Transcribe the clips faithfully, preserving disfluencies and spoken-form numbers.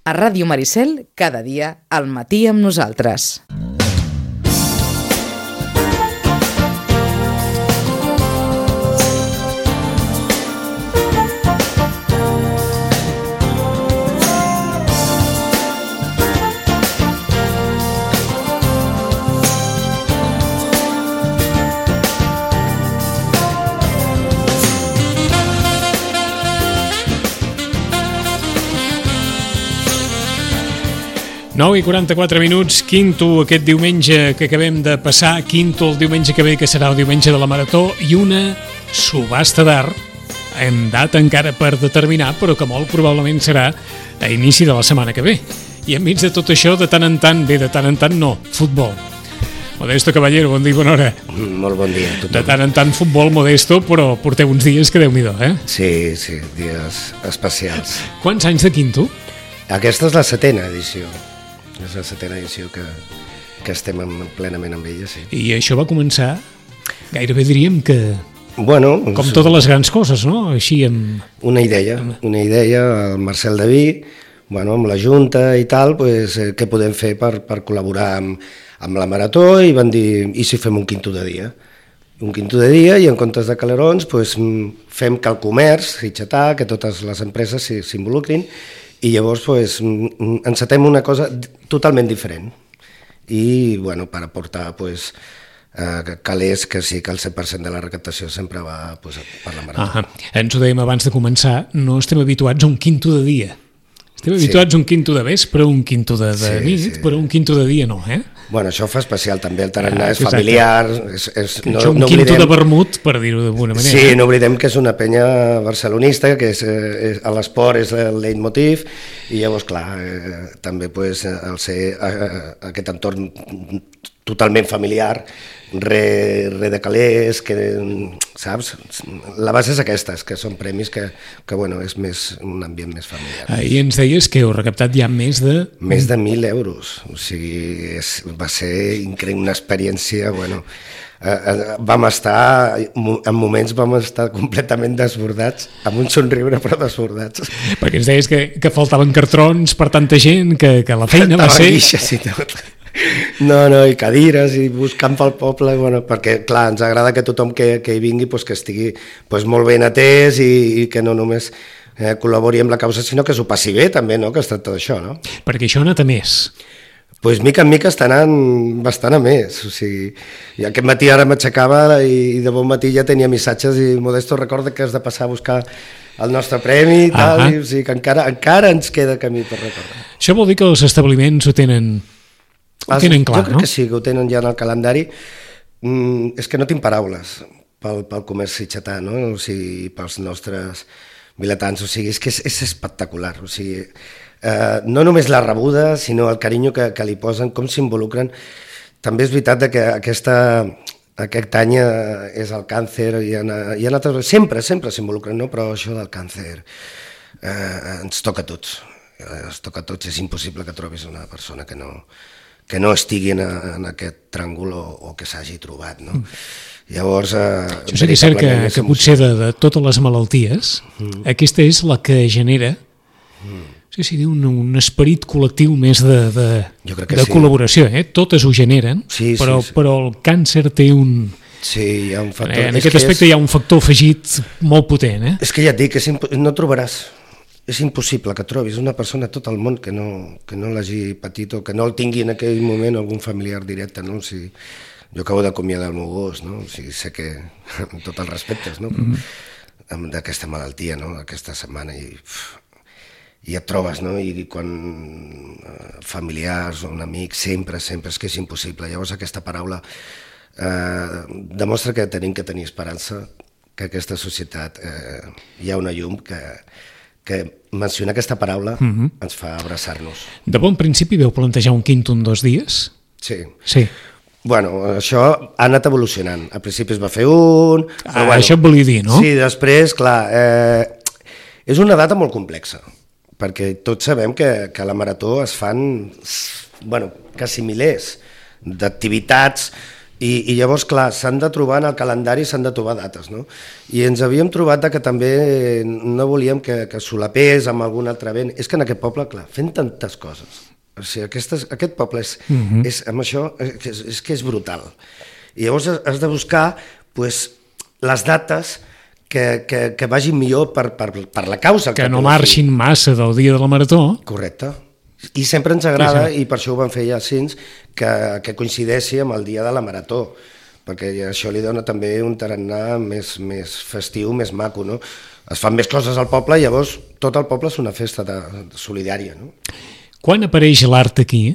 A Ràdio Maricel, cada dia, al matí amb nosaltres. nou i quaranta-quatre minuts, quinto aquest diumenge que acabem de passar, quinto el diumenge que ve, que serà el diumenge de la Marató, i una subhasta d'art en data encara per determinar, però que molt probablement serà a inici de la setmana que ve. I enmig de tot això, de tant en tant, bé, de tant en tant no, futbol. Modesto Caballero, bon dia i bona hora. Molt bon dia a tothom. De tant en tant futbol, Modesto, però porteu uns dies que Déu-n'hi-do, eh? Sí, sí, dies especials. Quants anys de quinto? Aquesta és la setena edició. És la setena edició que, que estem en, plenament amb ella, sí. I això va començar, gairebé diríem que... Bueno... Com totes les grans coses, no? Així amb... Una idea, una idea, el Marcel Daví, bueno, amb la Junta i tal, pues, eh, què podem fer per, per col·laborar amb, amb la Marató, i van dir, i si fem un quinto de dia? Un quinto de dia, i en comptes de calerons, pues, fem que el comerç, Sitgetà, que totes les empreses s'involucrin, i llavors pues, encetem una cosa totalment diferent i bueno, per aportar pues, eh, calés que sí que el cent per cent de la recaptació sempre va pues, per la Marató. Ah, ens ho dèiem abans de començar, no estem habituats a un quinto de dia. Estem habituats sí. a un quinto de vespre, un quinto de, de sí, nit, sí. però un quinto de dia no, eh? Bueno, això fa especial també, el tarannà ah, és familiar. És, és, no, això un no quinto oblidem... de vermut, per dir-ho d'alguna manera. Sí, no oblidem que és una penya barcelonista, que és, és, a l'esport és el leitmotiv, i llavors, clar, eh, també pues, al ser eh, aquest entorn totalment familiar, re, re de calés, que, saps? La base és aquesta, que són premis que, que bueno, és més, un ambient més familiar. Ahir ens deies que heu recaptat ja més de... Més de mil euros, o sigui, és, va ser increïble, una experiència, bueno... Eh, vam estar, en moments vam estar completament desbordats, amb un somriure però desbordats. Perquè ens deies que, que faltaven cartrons per tanta gent, que, que la feina va ser... Guixes i tot. No, no, i cadires, i buscant pel poble, bueno, perquè, clar, ens agrada que tothom que, que hi vingui pues, que estigui pues, molt ben atès i, i que no només eh, col·labori amb la causa, sinó que s'ho passi bé també, no?, que es tracta d'això, no? Perquè això ha anat a més. Pues mica en mica està anant bastant a més, o sigui, i aquest matí ara m'aixecava i de bon matí ja tenia missatges i Modesto recorda que has de passar a buscar el nostre premi i tal, i, o sigui que encara, encara ens queda camí per recordar. Això vol dir que els establiments ho tenen, ho tenen clar, no? Jo crec que sí, que ho tenen ja en el calendari. Mm, és que no tinc paraules pel, pel comerç sitgetà, no? O sigui, pels nostres vilatans, o sigui, és que és, és espectacular, o sigui... Uh, no només la rebuda, sinó el carinyo que, que li posen, com s'involucren. També és veritat que aquesta, aquest any és el càncer, i en, i en altres, sempre, sempre s'involucren, no? Però això del càncer uh, ens toca a tots, uh, ens toca a tots, és impossible que trobis una persona que no, que no estigui en, en aquest tràngol o, o que s'hagi trobat, no? Llavors... Uh, Això seria cert que, que potser de, de totes les malalties, mm. aquesta és la que genera... Mm. Sí, sí, un, un esperit col·lectiu més de, de, de sí. col·laboració, eh? Totes ho generen, sí, però, sí, sí. però el càncer té un... Sí, hi ha un factor... En aquest aspecte és... hi ha un factor afegit molt potent, eh? És que ja et dic, és imp... no trobaràs, és impossible que trobis una persona a tot el món que no, que no l'hagi patit o que no el tingui en aquell moment algun familiar directe, no? O sigui, jo acabo d'acomiadar el meu gos, no? O sigui, sé que, amb tots els respectes, no? Mm-hmm. D'aquesta malaltia, no? Aquesta setmana i... Uf, i et trobes, no? I quan eh, familiars o un amic, sempre, sempre, és que és impossible. Llavors aquesta paraula eh, demostra que tenim que tenir esperança, que aquesta societat eh, hi ha una llum, que, que mencionar aquesta paraula uh-huh. ens fa abraçar-nos. De bon principi veu plantejar un quinto en dos dies? Sí. Sí. Bueno, això ha anat evolucionant. Al principi es va fer un... Ah, bueno, això et volia dir, no? Sí, després, clar, eh, és una data molt complexa, perquè tots sabem que, que a la Marató es fan, bueno, quasi milers d'activitats I, i llavors, clar, s'han de trobar en el calendari, s'han de trobar dates, no? I ens havíem trobat que també no volíem que, que solapés amb algun altre event. És que en aquest poble, clar, fent tantes coses, o sigui, aquestes, aquest poble és, uh-huh. és amb això, és, és que és brutal. I llavors has de buscar pues, les dates que, que, que vagin millor per, per, per la causa. Que, que no marxin massa del dia de la marató. Correcte. I sempre ens agrada, sí, sí. I per això ho van fer ja cins, que, que coincideixi amb el dia de la marató, perquè això li dona també un tarannà més, més festiu, més maco, no? Es fan més coses al poble i llavors tot el poble és una festa de, de solidària, no? Quan apareix l'art aquí?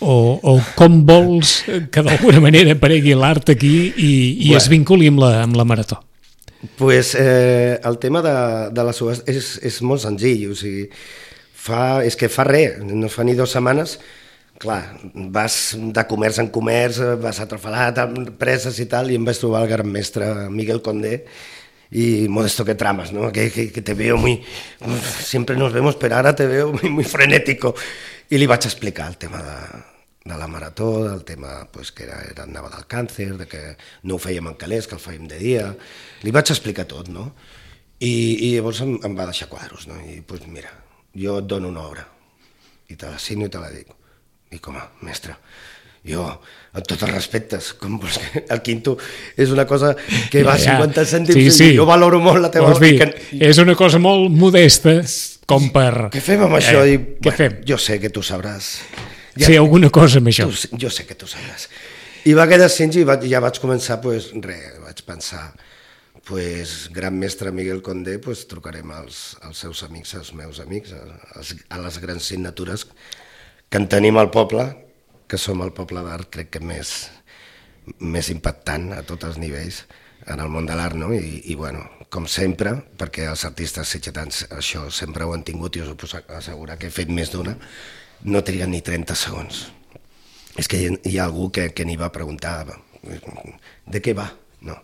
O, o com vols que d'alguna manera aparegui l'art aquí i, i bueno. es vinculi amb la, amb la marató? Pues, eh, el tema de, de la subhasta és, és molt senzill, o sigui, fa, és que fa res, no fa ni dues setmanes, clar, vas de comerç en comerç, vas a Trafalat, a preses i tal, i em vaig trobar el gran mestre Miguel Condé y Modesto que tramas, ¿no? Que, que, que te veo muy, siempre nos vemos, pero ahora te veo muy, muy frenético. I li vaig explicar el tema de, de la marató, del tema pues, que era, era anava del càncer, de que no ho fèiem en calés, que el fèiem de dia. Li vaig explicar tot, no? I, i llavors em, em va deixar quadros, no? I pues mira, jo et dono una obra i te la signo i te la dic. I com a mestre, jo, amb tots els respectes, com vols que el quinto és una cosa que va a ja, ja. cinquanta cèntims sí, sí. i jo valoro molt la teva obra. Que... És una cosa molt modesta com per... Què fem amb això? Eh, I, què bueno, fem? Jo sé que tu sabràs. Ja, Fer alguna cosa amb això. Tu, jo sé que tu sabràs. I va quedar cinc i va, ja vaig començar, pues, res, vaig pensar, pues, gran mestre Miguel Condé, pues, trucarem als, als seus amics, als meus amics, a, a les grans signatures que en tenim al poble, que som el poble d'art, crec que més, més impactant a tots els nivells en el món de l'art, no? I, i bueno, com sempre, perquè els artistes sitgetans això sempre ho han tingut i us ho puc assegurar que he fet més d'una, no triguen ni trenta segons. És que hi, hi ha algú que, que n'hi va preguntar de què va, no?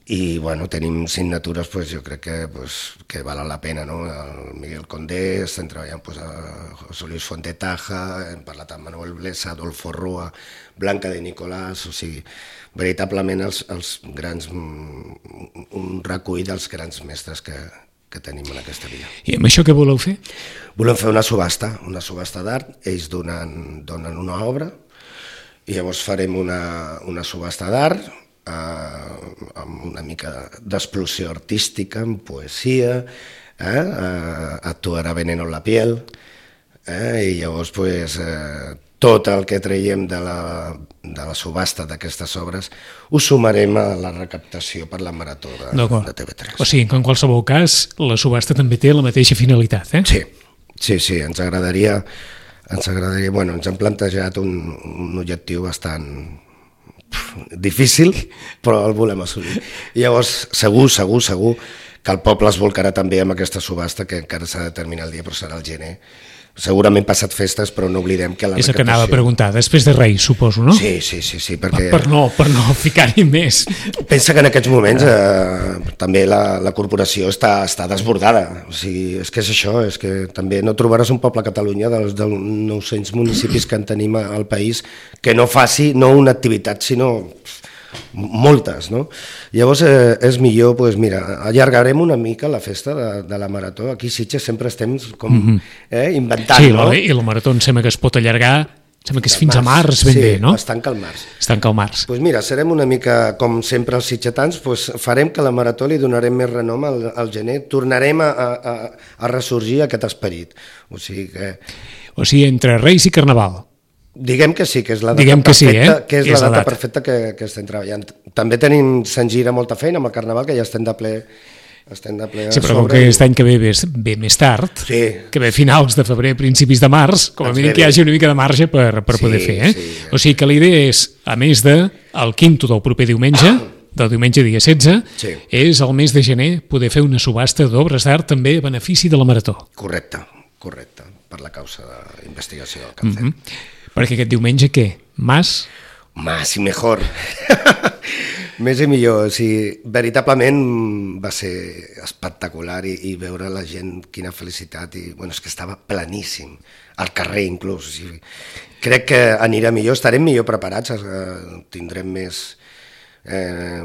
I bueno, tenim signatures, pues, jo crec que, pues, que valen la pena, no? El Miguel Condé, estem treballant pues, a José Luis Fontetaja, hem parlat amb Manuel Blesa, Adolfo Roa, Blanca de Nicolás, o sigui, veritablement els, els grans, un recull dels grans mestres que, que tenim en aquesta via. I amb això què voleu fer? Volem fer una subhasta, una subhasta d'art, ells donen, donen una obra, i llavors farem una, una subhasta d'art, Uh, amb una mica d'explosió artística, amb poesia, eh? uh, actuarà Veneno en la piel, eh? I llavors pues, uh, tot el que traiem de la, de la subhasta d'aquestes obres ho sumarem a la recaptació per la marató de, de T V tres. O sigui, que en qualsevol cas la subhasta també té la mateixa finalitat, eh? Sí, sí, sí, ens agradaria, ens agradaria, bueno, ens hem plantejat un, un objectiu bastant difícil, però el volem assolir. I llavors, segur, segur, segur que el poble es volcarà també amb aquesta subhasta, que encara s'ha de determinar el dia, però serà el gener. Segurament passat festes, però no oblidem que la és recaptació... És el que anava a preguntar, després de Reis, suposo, no? Sí, sí, sí, sí, perquè... Per, per no, per no ficar-hi més. Pensa que en aquests moments eh, també la, la corporació està, està desbordada. O sigui, és que és això, és que també no trobaràs un poble a Catalunya dels, dels nou-cents municipis que en tenim al país que no faci, no una activitat, sinó moltes, no? Llavors eh, és millor, pues, mira, allargarem una mica la festa de, de la marató. Aquí a Sitges sempre estem com mm-hmm. eh, inventant, sí, no? Sí, i la marató em sembla que es pot allargar, sembla que és fins març, a març ben sí, bé, no? Sí, es tanca el març. Es tanca el març. Pues mira, serem una mica, com sempre els sitgetans, pues farem que la marató li donarem més renom al, al gener, tornarem a, a, a ressorgir aquest esperit. O sigui que... O sigui, entre Reis i Carnaval. Diguem que sí, que és la data Diguem perfecta, que, sí, eh? que és, és la data, data perfecta que, que estem treballant. També tenim, se'n gira molta feina amb el Carnaval, que ja estem de ple, estem de ple a sí, però sobre. com que aquest any que ve ve, ve més tard, sí. que ve finals de febrer, principis de març, com a mínim que hi hagi una mica de marge per, per sí, poder fer. Eh? Sí. O sigui que la idea és, a més de el quinto del proper diumenge, del diumenge dia setze, sí. és el mes de gener poder fer una subhasta d'obres d'art també a benefici de la marató. Correcte, correcte, per la causa d'investigació del càncer. Mm-hmm. Perquè aquest diumenge, què? Más? Más i mejor. Més i millor. O sigui, veritablement va ser espectacular i, i veure la gent, quina felicitat. I, bueno, és que estava planíssim. al carrer inclús. O sigui, crec que anirà millor, estarem millor preparats, eh, tindrem més... Eh,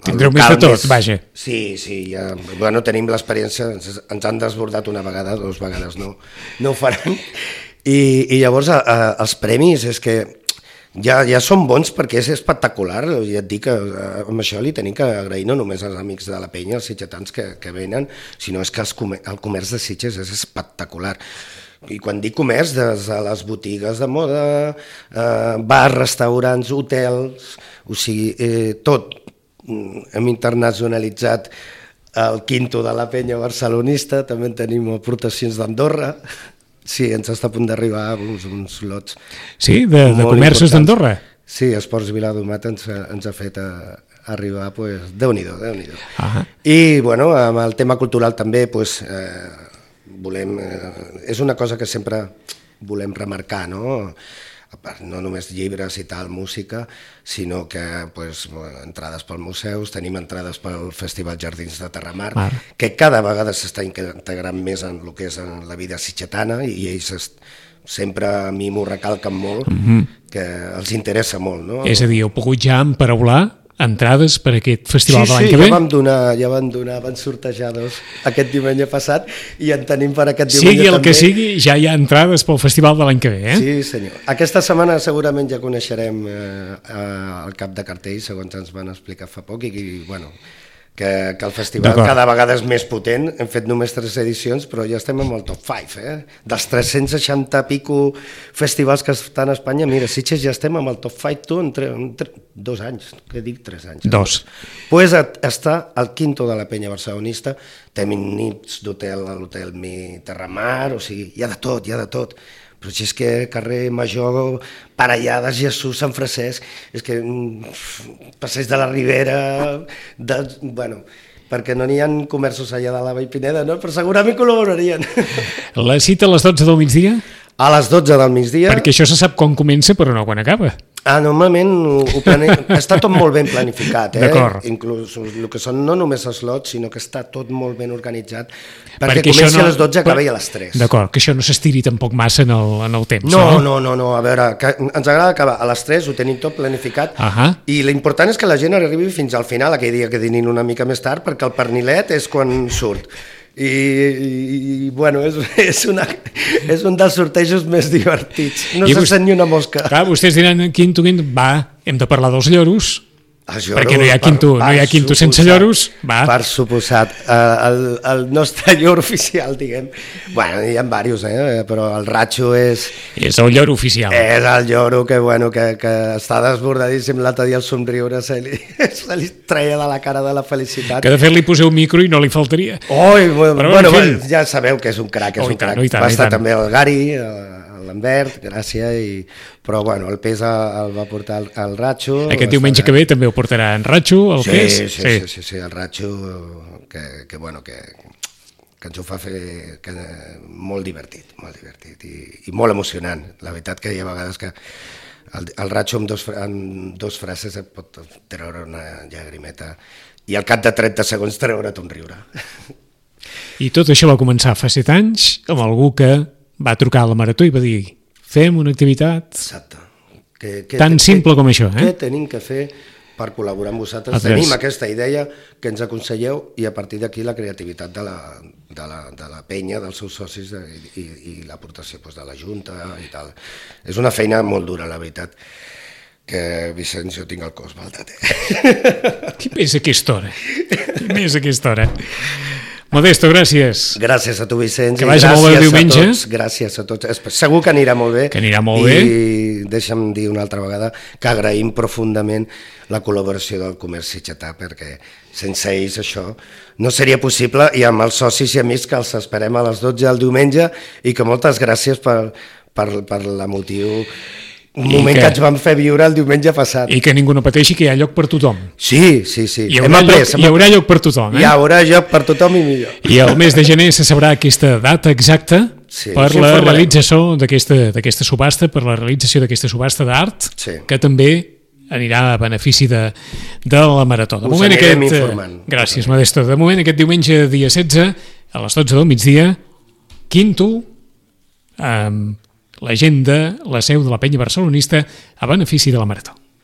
Tindreu més de tot, més... vaja. Sí, sí, ja, bueno, tenim l'experiència, ens, ens han desbordat una vegada, dues vegades no, no ho faran, i, i llavors a, a, els premis és que ja, ja són bons perquè és espectacular, ja et dic que amb això li tenim que agrair no només als amics de la penya, els sitgetans que, que venen, sinó és que els comer, el comerç de Sitges és espectacular. I quan dic comerç, des de les botigues de moda, eh, bars, restaurants, hotels, o sigui, eh, tot. Hem internacionalitzat el quinto de la penya barcelonista, també tenim aportacions d'Andorra, sí, ens està a punt d'arribar uns, uns lots. Sí, de, de comerços d'Andorra? Sí, Esports Viladomat ens, ens ha fet a, arribar, pues, Déu-n'hi-do, Déu-n'hi-do. Uh-huh. I, bueno, amb el tema cultural també, pues, eh, volem, eh, és una cosa que sempre volem remarcar, no? A part, no només llibres i tal, música, sinó que pues, entrades pels museus, tenim entrades pel Festival Jardins de Terramar, ah. que cada vegada s'està integrant més en el que és en la vida sitgetana i ells est... sempre a mi m'ho recalquen molt, mm-hmm. que els interessa molt. No? És a dir, heu pogut ja emparaular entrades per aquest festival sí, de l'any sí, que ve? Sí, ja vam donar, ja vam donar, van sortejar dos aquest diumenge passat i en tenim per aquest diumenge sigui el també. Que sigui, ja hi ha entrades pel festival de l'any que ve, eh? Sí, senyor. Aquesta setmana segurament ja coneixerem eh, el cap de cartell, segons ens van explicar fa poc, i, i bueno, que, que el festival cada vegada és més potent. Hem fet només tres edicions, però ja estem en el top cinc, eh? Dels tres-cents seixanta pico festivals que estan a Espanya, mira, Sitges ja estem en el top cinc, tu, en, tre, en tre, dos anys, què dic, tres anys. Dos. Doncs pues està al quinto de la penya barcelonista, tenim nits d'hotel a l'hotel Mi Terramar, o sigui, hi ha de tot, hi ha de tot. Però si és que carrer Major, Parellades, Jesús, Sant Francesc, és que passeig de la Ribera, de, bueno, perquè no n'hi ha comerços allà de la Vall Pineda, no? Però segurament col·laborarien. La cita a les dotze del migdia? A les dotze del migdia. Perquè això se sap quan comença, però no quan acaba. Ah, normalment ho, ho plane... està tot molt ben planificat, eh? D'acord. Inclús el que són no només els lots, sinó que està tot molt ben organitzat, perquè, perquè comenci no... a les dotze i acabi a les tres. D'acord, que això no s'estiri tampoc massa en el, en el temps, no? No, no, no, no, a veure, que ens agrada acabar a les tres, ho tenim tot planificat, uh-huh. i l'important és que la gent arribi fins al final, aquell dia que dinin una mica més tard, perquè el pernilet és quan surt. I, i, i bueno, és, és, una, és un dels sortejos més divertits, no se sent ni una mosca. Clar, vostès diran, quinto, quinto, va, hem de parlar dels lloros, lloros perquè no hi ha quinto, no hi ha quinto sense lloros, va. Per suposat, el, el nostre lloro oficial, diguem, bueno, hi ha diversos, eh? Però el Ratxo és... És el lloro oficial. És el lloro que, bueno, que, que està desbordadíssim, l'altre dia el somriure se li, se li treia de la cara de la felicitat. Que de fet li poseu micro i no li faltaria. Oi, bueno, bueno, bueno, ja sabeu que és un crac, és oh, un crac. Tant, tant, va estar també el Gary, l'Ambert, gràcies, i... però bueno, el pes el va portar el, el Ratxo. Aquest diumenge que ve també ho portarà en Ratxo, el sí, pes? Sí, sí, sí, sí, sí, el Ratxo, que, que bueno, que, que ens ho fa fer que, molt divertit, molt divertit i, i molt emocionant. La veritat que hi ha vegades que el, el Ratxo amb dos, amb dos frases et pot treure una llagrimeta i al cap de trenta segons treure't un riure. I tot això va començar fa set anys amb algú que va trucar a la Marató i va dir fem una activitat Exacte. Que, que, tan que, simple com això. Eh? Què tenim que fer per col·laborar amb vosaltres? Tenim aquesta idea que ens aconselleu i a partir d'aquí la creativitat de la, de la, de la penya, dels seus socis de, i, i l'aportació doncs, de la Junta i tal. És una feina molt dura, la veritat, que Vicenç, jo tinc el cos baldat. Eh? Qui més a aquesta hora? Qui més a aquesta hora? Modesto, gràcies. Gràcies a tu, Vicenç. Que vagi molt bé el diumenge. A tots, gràcies a tots. Segur que anirà molt bé. Que anirà molt bé. I deixa'm dir una altra vegada que agraïm profundament la col·laboració del comerç sitgetà, perquè sense ells això no seria possible, i amb els socis i amics que els esperem a les dotze del diumenge i que moltes gràcies per, per, per l'emotiu un moment que... que ens vam fer viure el diumenge passat. I que ningú no pateixi, que hi ha lloc per tothom. Sí, sí, sí. Hi haurà, lloc, hi haurà lloc per tothom. Eh? Hi haurà lloc per tothom i millor. I el mes de gener se sabrà aquesta data exacta sí, per la realització d'aquesta subhasta, per la realització d'aquesta subhasta d'art, sí. que també anirà a benefici de, de la Marató. De Us moment anirem aquest, informant. Gràcies, Modesto. De moment, aquest diumenge, dia setze, a les dotze del migdia, quinto, amb l'agenda, la seu de la penya barcelonista a benefici de la Marató.